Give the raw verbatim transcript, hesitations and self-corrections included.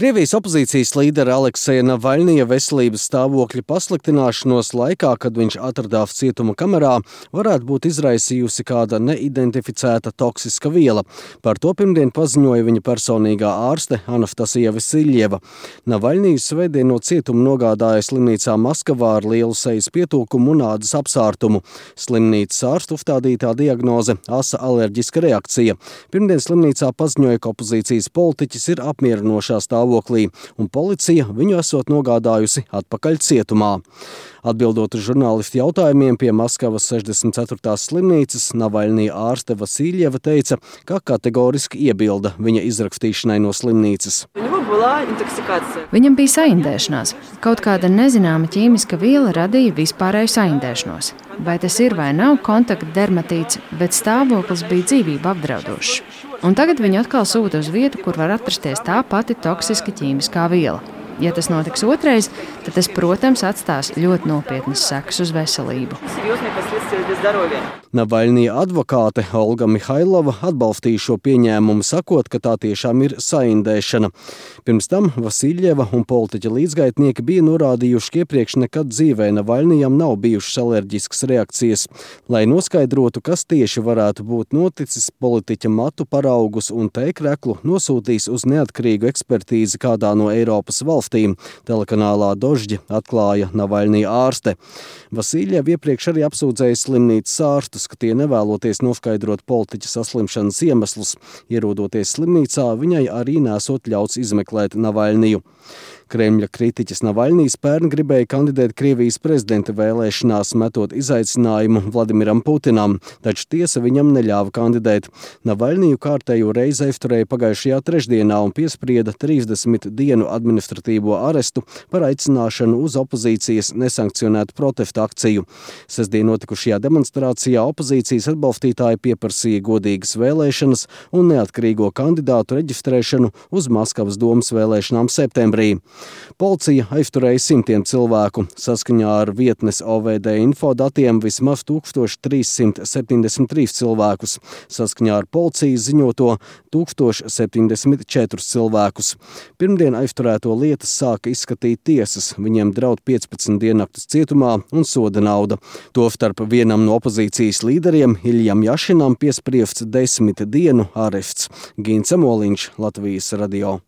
Krievijas opozīcijas līdera Alekseja Navaļņija veselības stāvokļa pasliktināšanos laikā, kad viņš atradās cietuma kamerā, varētu būt izraisījusi kāda neidentificēta toksiska viela. Par to pirmdien paziņoja viņa personīgā ārste Anastasija Vasiljeva. Navaļņiju svētdien no cietuma nogādāja slimnīcā Maskavā ar lielu sejas pietūkumu un ādas apsārtumu. Slimnīcas ārstu uzstādītā diagnoze – asa alerģiska reakcija. Pirmdien slimnīcā paziņoja, ka opozīcijas politiķis ir apmierinošā stāvoklī. Un policija viņu esot nogādājusi atpakaļ cietumā. Atbildot uz žurnālistu jautājumiem pie Maskavas sešdesmit ceturtās slimnīcas, Navaļņija ārste Vasiljeva teica, ka kategoriski iebilda viņa izrakstīšanai no slimnīcas. Viņam bija saindēšanās. Kaut kāda nezināma ķīmiska viela radīja vispārēju saindēšanos. Vai tas ir vai nav kontaktdermatīts, bet stāvoklis bija dzīvību apdraudošs. Un tagad viņu atkal sūta uz vietu, kur var atrasties tā pati toksiska ķīmiskā viela. Ja tas notiks otrais, tad tas, protams, atstās ļoti nopietnas sekas uz veselību. Navaļņija advokāte Olga Mihailova atbalstīja šo pieņēmumu, sakot, ka tā tiešām ir saindēšana. Pirms tam Vasiljeva un politiķa līdzgaitnieki bija norādījuši, ka iepriekš nekad dzīvē Navaļņijam nav bijušas alerģiskas reakcijas. Lai noskaidrotu, kas tieši varētu būt noticis, politiķa matu paraugus un tēkreklu nosūtīs uz neatkarīgu ekspertīzi kādā no Eiropas valstīm. Telekanālā Dožģi atklāja Navaļņija ārste. Vasiljeva iepriekš arī apsūdzēja slimnīcas ārstus, ka tie nevēloties noskaidrot politiķa saslimšanas iemeslus. Ierodoties slimnīcā, viņai arī nesot ļauts izmeklēt Navaļņiju. Kremļa kritiķis Navaļņijs pērn gribēja kandidēt Krievijas prezidenta vēlēšanās, metot izaicinājumu Vladimiram Putinam, taču tiesa viņam neļāva kandidēt. Navaļņiju kārtējo reizi aizturēja pagājušajā trešdienā un piesprieda trīsdesmit dienu administratīvo arestu par aicināšanu uz opozīcijas nesankcionētu protesta akciju. Sestdien notikušajā demonstrācijā opozīcijas atbalstītāji pieprasīja godīgas vēlēšanas un neatkarīgo kandidātu reģistrēšanu uz Maskavas domas vēlēšanām septembrī. Policija aizturēja simtiem cilvēku. Saskaņā ar vietnes O V D info datiem vismaz tūkstoš trīs simti septiņdesmit trīs cilvēkus. Saskaņā ar policijas ziņoto tūkstoš septiņdesmit četrus cilvēkus. Pirmdien aizturēto lietas sāka izskatīt tiesas. Viņiem draud piecpadsmit diennaktis cietumā un soda nauda. Tostarp vienam no opozīcijas līderiem, Iljam Jašinam, piespriests desmit dienu arests. Gins Amoliņš, Latvijas radio.